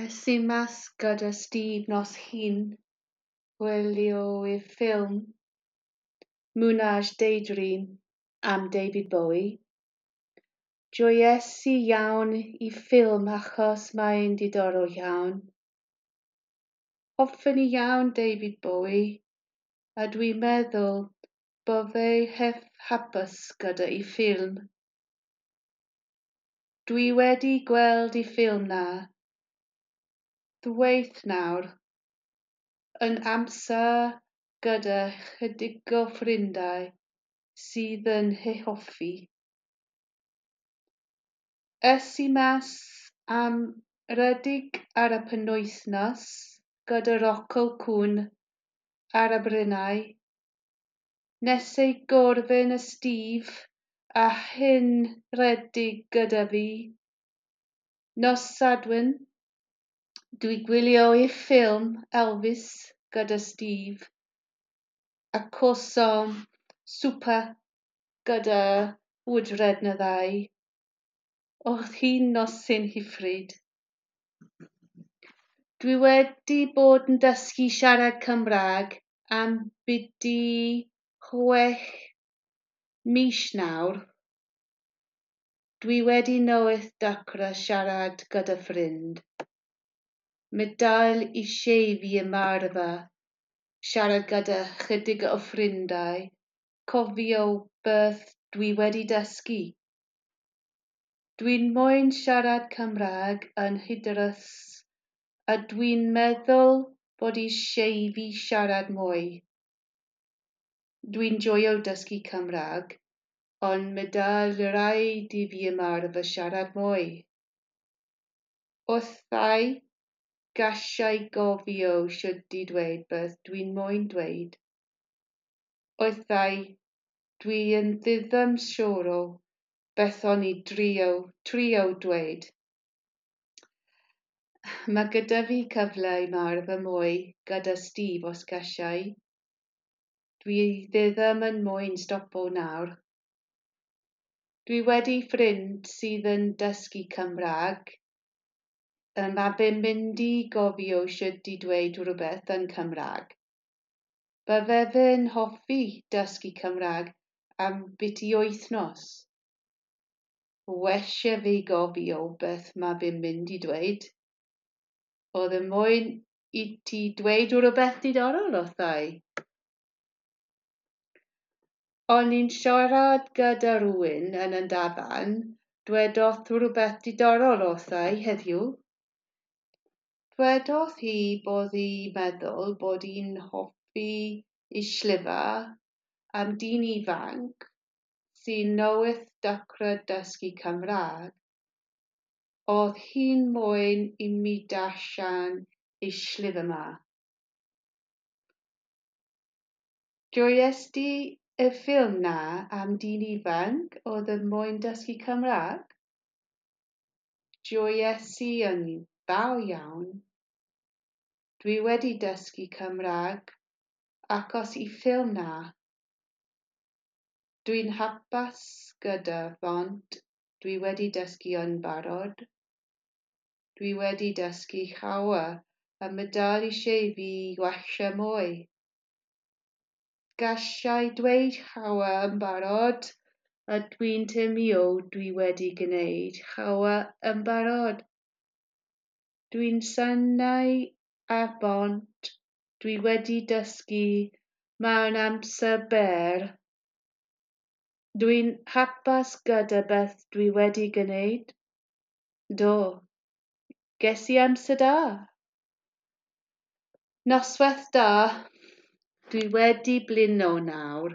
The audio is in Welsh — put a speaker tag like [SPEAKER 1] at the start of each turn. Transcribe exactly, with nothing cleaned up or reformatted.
[SPEAKER 1] Es i mas gyda Steve nos Llun wylio y ffilm Moonage Daydream am David Bowie. Joies i iawn i ffilm achos mae'n diddorol iawn. Hoffwn i iawn David Bowie a dwi'n meddwl bo fe hef hapus gyda'i ffilm. Dwi wedi gweld y ffilm 'na ddwywaith nawr, yn amser gyda chydig o ffrindiau sydd yn ei hoffi. Es i mas am redeg ar y penwythnos gyda Rocco Cŵn ar y bryniau. Nes i gorffen y Steve a hyn redeg gyda fi. Nos Sadwrn, dwi gwylio y ffilm Elvis gyda Steve a cawsom swper gyda wydred neu ddau. Oedd hi'n noson hyfryd. Dwi wedi bod yn dysgu siarad Cymraeg am byti chwech mis nawr. Dwi wedi newydd dechrau siarad gyda ffrind. Mae dal eisiau fi ymarfer siarad gyda chydig o ffrindiau, cofio beth dwi wedi dysgu. Dwi'n moyn siarad Cymraeg yn hyderus a dwi'n meddwl bod eisiau fi siarad mwy. Dwi'n joio dysgu Cymraeg, ond mae dal rhaid i fi ymarfer siarad mwy. Weithiau, gallai gofio sut i dweud beth dwi'n moyn dweud. Weithiau, dwi yn ddim siŵr o beth o'n i drio, trio dweud. Mae gyda fi cyfle i ymarfer mwy gyda Steve os gallai. Dwi ddim yn moyn stopo nawr. Dwi wedi ffrind sydd yn dysgu Cymraeg. Mae fe'n mynd i gofio sut i dweud rhywbeth yn Cymraeg. Bydde fe'n hoffi dysgu Cymraeg am byti wythnos. Well fi gofio beth mae fe'n mynd i dweud. Oedd e moyn i ti dweud rhywbeth diddorol wrtha i. O'n i'n siarad gyda rhywun yn y dafarn, dwedodd rhywbeth diddorol wrtha i heddiw. Dwedodd hi bod hi'n meddwl bod hi'n hoffi ei llyfr am dyn ifanc sy'n newydd dechrau dysgu Cymraeg. Oedd hi'n moyn i mi darllen ei llyfr yma. Joies di y ffilm 'na am dyn ifanc oedd yn moyn dysgu Cymraeg? Joies i yn fawr iawn. Dwi wedi dysgu Cymraeg achos y ffilm 'na. Dwi'n hapus gyda faint dwi wedi dysgu yn barod. Dwi wedi dysgu llawer a mae dal eisiau fi gwella mwy. Gallai dweud llawer yn barod a dwi'n teimlo dwi wedi gwneud llawer yn barod. Dwi'n synnu ar bont dwi wedi dysgu mewn amser byr. Dwi'n hapus gyda beth dwi wedi gwneud. Do, ges i amser da. Noswaith da. Dwi wedi blino nawr.